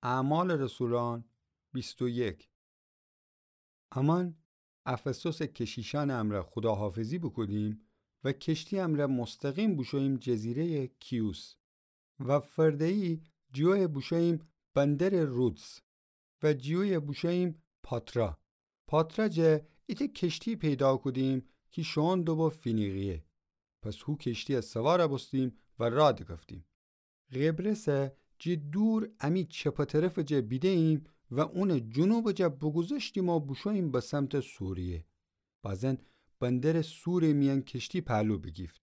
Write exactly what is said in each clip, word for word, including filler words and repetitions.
اعمال رسولان بیست و یک. امأن افسوسٚ کشیشأنٚ امرأ خوداحافظی بوکودیم و کشتی امرأ مستقیم بوشوییم جزیره‌یٚ کیوس و فرده‌یی جیویه بوشوییم بندرٚ رودس و جیویه بوشوییم پاترا. پاترا جه ایتأ کشتی پیدا کودیم کی شوئون دوبو فینیقیه. پس هو کشتی‌یه سوار بوستیم و راه دکفتیم. قبرسه جی دور امی چپه طرفٚ جه بیده‌ییم و اونٚ جنوبٚ جه بوگوذشتیم و بوشوییم به سمتٚ سوریه. بازن بندرٚ سورٚ میأن کشتی پهلو بیگیفت،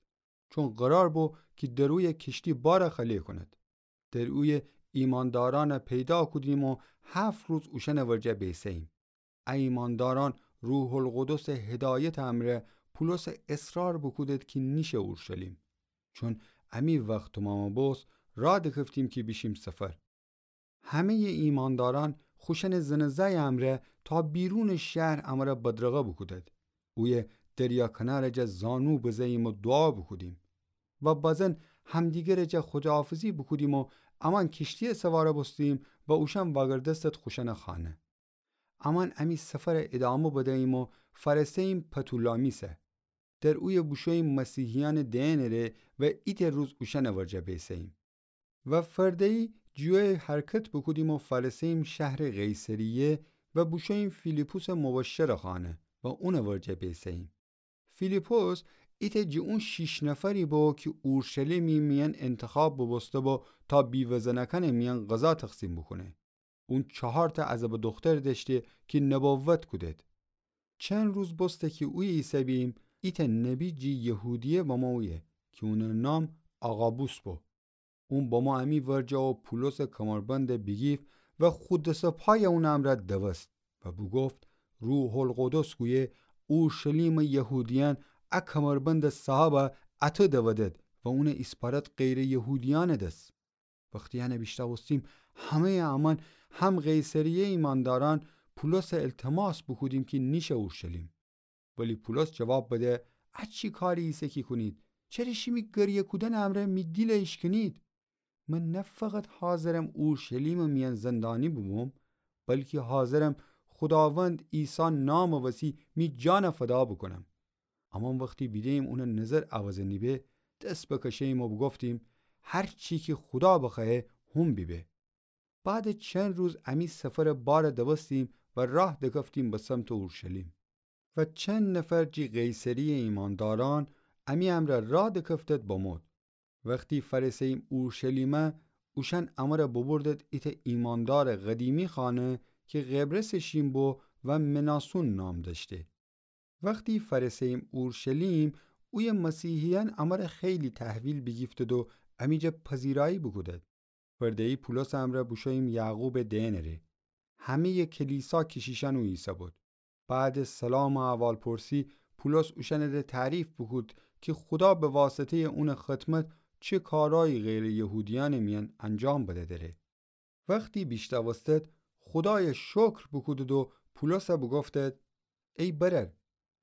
چون قرار بو کی در اویه کشتی بار خالی کونید. در اویه ایماندارأن پیدا کودیم و هفت روز اوشأنٚ ورجه بیسه‌ییم. ا ایماندارأن روح‌القدسٚ هدایتٚ امرأ پولسه اصرار بوکودید کی نیشه اورشلیم، چون امی وخت تومام بوست راه دکفتیم کی بیشیم سفر. همه‌یٚ ایماندارأن خوشأنٚ زن و زأیٚ امرأ تا بیرونٚ شهر امرأ بدرقه بوکودید. اویه دریا کنارٚ جه زانو بزه‌ییم و دوعا بوکودیم. و بازن همدیگرٚ جه خوداحافظی بوکودیم و امأن کشتی‌یه سوار بوستیم و اوشأن وأگردستید خوشأنٚ خانه. امأن امی سفر ادامه بده‌ییم و فأرسه‌ییم پتولامیسه. در اویه بوشوییم مسیحیأنٚ دئنٚ ره و ایتأ روز اوشأنٚ ورجه بیسه‌ییم. و فرده‌یی جیویه حرکت بوکودیم و فأرسه‌ییم شهرٚ قیصریه و بوشوییم فیلیپسٚ مبشرٚ خانه و اونٚ ورجه بیسه‌ییم. فیلیپس ایتأ جی اون شیش نفری بو کی اورشلیمی میأن انتخاب بوبوسته بو تا بیوه‌زنأکأنٚ میأن غذا تقسیم بوکونه. اون چهارتأ عذبٚ دوختر دأشته کی نبوت کودید. چند روز بوسته کی اویه ایسه‌بیم، ایتأ نبی جی یهودیه بمو اویه کی اونٚ نام آغابوس بو. اون بمو امی ورجه و پولسٚ کمربند بیگیفت و خو دس و پای اونٚ امرأ دوست و بوگفت: روح‌القدس گویه اورشلیمٚ یهودیأن ا کمربندٚ صاحبه اته دودید و اونه ایسپارد غیرٚ یهودیأنٚ دس. وختی انه بیشنوستیم، همه‌یٚ امأن هم قیصریه ایماندارأن پولسه التماس بوکودیم کی نیشه اورشلیم. ولی پولس جواب بده: ا چی کاری ایسه کی کونید؟ چره شیمی گریه کودنٚ امرأ می دیل ایشکنید؟ من نه فقط حاضرم اورشلیمٚ میأن زندانی بوبوم، بلکی حاضرم خوداوند عیسی نامٚ وسی می جان فدا بوکونم. امأن وختی بیده‌ییم اونٚ نظر عوض نیبه، دس بکشه‌ییم و بوگفتیم: هر چی کی خودا بخوأیه، هون بیبه. بعدٚ چند روز امی سفرٚ بار دوستیم و راه دکفتیم به سمتٚ اورشلیم. و چند نفر جی قیصریه ایماندارأن امی امرأ راه دکفتید بمود. وختی فأرسه‌ییم اورشلیمه، اوشأن امرأ ببردید ایتأ ایماندارٚ قدیمی خانه کی قبرسٚ شین بو و مناسون نام دأشته. وختی فأرسه‌ییم اورشلیم، اویه مسیحیأن امرأ خیلی تحویل بیگیفتید و امی جا پذیرایی بوکودید. فرده‌یی پولسٚ امرأ بوشوییم یعقوبٚ دئنٚ ره. همه‌یٚ کلیسا کشیشأن او ایسه‌بود. بعدٚ سلامٚ احوالپرسی، پولس اوشأنٚ ره تعریف بوکود کی خودا به واسطه‌یٚ اونٚ خدمت چه کارایی غیرٚ یهودیأنٚ میأن انجام بده‌دره. وختی بیشنوستید، خودایه شکر بوکودید و پولسه بوگفتید: ای برأر،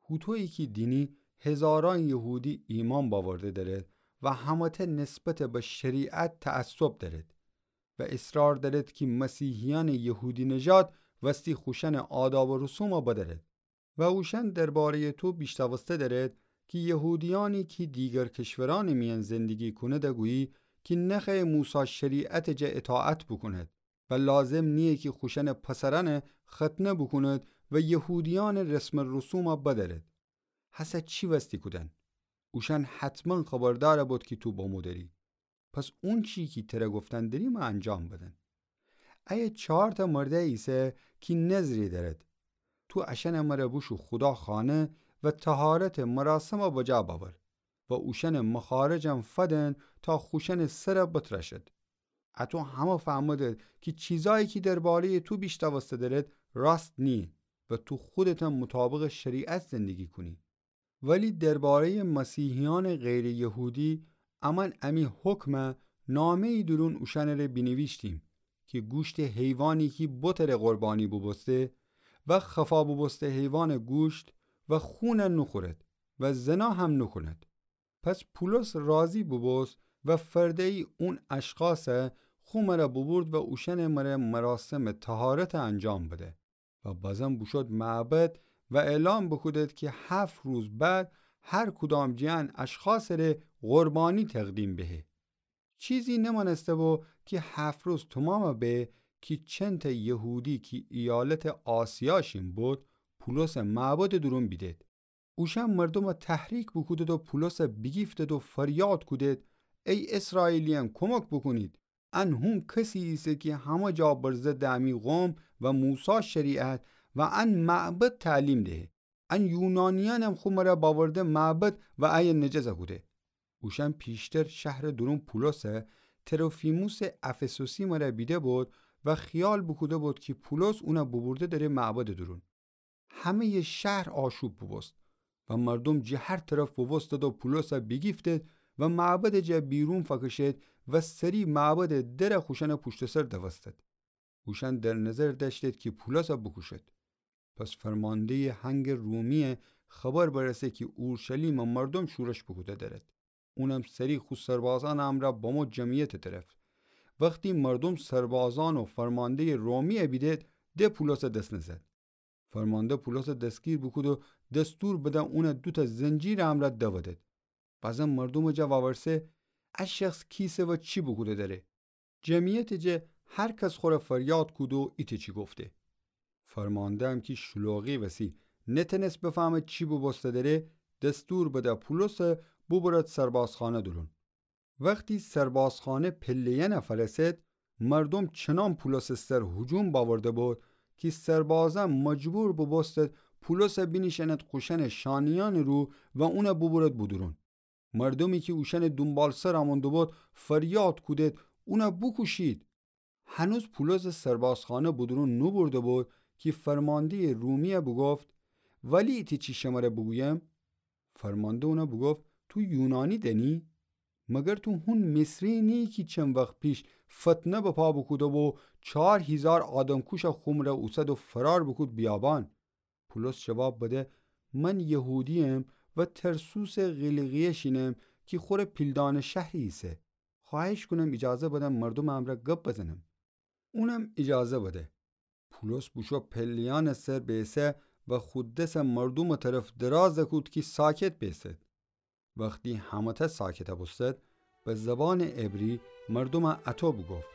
هوطویی کی دینی، هزارأن یهودی ایمأن بأورده دأرید و همه‌تأ نسبتٚ به شریعت تعصب دأرید و اصرار دأرید کی مسیحیأنٚ یهودی‌نژاد وستی خوشأنٚ آداب و رسومه بدأرید. و اوشأن درباره‌یٚ تو بیشنوسته دأرید کی یهودیأنی کی دیگر کشورأنٚ میأن زندگی کونید گویی کی نخوأیه موسی شریعتٚ جا اطاعت بوکونید و لازم نییه کی خوشأنٚ پسرأنه ختنه بوکونید و یهودیأنٚ رسم و رسومه بدأرید. هسه چی وستی کودن؟ اوشأن حتماً خبردار بید کی تو بمو دری. پس اونچی کی تره گفتن دریمه انجام بدن. ایه چهارتأ مردأی ایسه کی نذری دأرید. تو اشأنٚ مره بوشو خودا خانه و طهارتٚ مراسمه بجا بأور و اوشأنٚ مخارجم فدن تا خوشأنٚ سره بترأشید. اتو همه فهمدید کی چیزأیی کی درباره‌یٚ تو بیشنوسته دأرید راست نییه و تو خودتم مطابقٚ شریعت زندگی کونی. ولی درباره‌یٚ مسیحیأنٚ غیرٚ یهودی، امأن امی حکمه نامه‌یی دورون اوشأنٚ ره بینیویشتیم کی گوشتٚ حیوانی کی بتٚ ره قربانی بوبوسته و خفا بوبوسته حیوانٚ گوشت و خونه نوخورید و زنا هم نوکونید. پس پولس راضی بوبوست و فرده‌یی اون اشخاصه خو مره بوبورد و اوشأنٚ مره مراسمٚ طهارت انجام بده. و بازم بوشود معبد و اعلام بوکودد کی هفت روز بعد هر کدام جٚه ان اشخاصٚ ره قربانی تقدیم بهه. چیزی نمأنسته بو کی هفت روز تومام به کی چنتأ یهودی کی ایالتٚ آسیا شین بود، پولسٚ معبدٚ دورون بیدد. اوشأن مردومَ تحریک بوکودد و پولسَ بیگیفتد و فریاد کودد: ای اسرائیلیأن، کمک بوکونید! ان هون کسی ایسه کی همه جا بر ضدٚ امی قوم و موسی شریعت و ان معبد تعلیم دهه. ان یونانیأنم خو مره باورده معبد و ایه نجس کوده. اوشأن پیشتر شهرٚ دورون پولسَ، تروفیموسٚ افسوسی مره بیده بود و خیال بوکوده بود کی پولس اونَ بوبورده دره معبدٚ دورون. همه‌یٚ شهر آشوب بوبوست و مردوم جٚه هر طرف بوبوستد و پولسَ بیگیفتد و معبدٚ جا بیرون فأکشید و سری معبدٚ درَ خوشأنٚ پوشتٚ سر دوستد. اوشأن در نظر دأشتید کی پولسَ بوکوشید. پس فرمانده‌یٚ هنگٚ رومی‌یَ خبر برسه کی اورشلیمٚ مردوم شورش بوکوده درد. اونم سری خو سربازأنٚ امرأ بمو جمعیتٚ طرف. وختی مردوم سربازأن و فرمانده‌یٚ رومی‌یَ بیدید، د پولسَ دس نزد. فرمانده پولسَ دستگیر بوکود و دستور بده اونَ دوتأ زنجیرٚ امرأ دودید. بازم مردومٚ جا وأورسه: ا شخص کیسه و چی بوکوده دره؟ جمعیتٚ جا هر کس خوره فریاد کود و ایتأ چی گفته. فرمانده‌م کی شلوغی وسی نتأنست بفهمه چی بوبوسته دره، دستور بده پولسَ بوبرد سربازخانه دورون. وختی سربازخانه پله‌یأنَ فأرسد، مردوم چنان پولسٚ سر هجوم بأورده بود کی سربازأن مجبور بوبوستد پولسَ بینیشأند خوشأنٚ شانه‌یأنٚ رو و اونَ بوبرد بودورون. مردومی کی اوشأنٚ دونبالسر آمون دوبود فریاد کودید: اونَ بوکوشید! هنوز پولسَ سربازخانه بودورون نوبرده بود کی فرمانده‌یٚ رومی‌یَ بوگفت: ولی ایتأ چی شمره بوگویم؟ فرمانده اونَ بوگفت: تو یونانی دأنی؟ مگر تو هون مصری نییی کی چند وخت پیش فتنه بپا بوکوده و چار هیزار آدمکوشَ خو مره اوسد و فرار بوکود بیابان؟ پولس جواب بده: من یهودی‌یم و ترسوسٚ قیلیقیه شینم کی خوره پیلدانٚ شهری ایسه. خوأهش کونم ایجازه بدن مردومٚ امرأ گب بزنم. اونم ایجازه بده. پولس بوشو پله‌یأنٚ سر بیسه و خو دسَ مردومٚ طرف دراز کود کی ساکت بیسد. وختی همه‌تأ ساکت بوستد، به زبانٚ عبری مردومَ اطو بوگفت: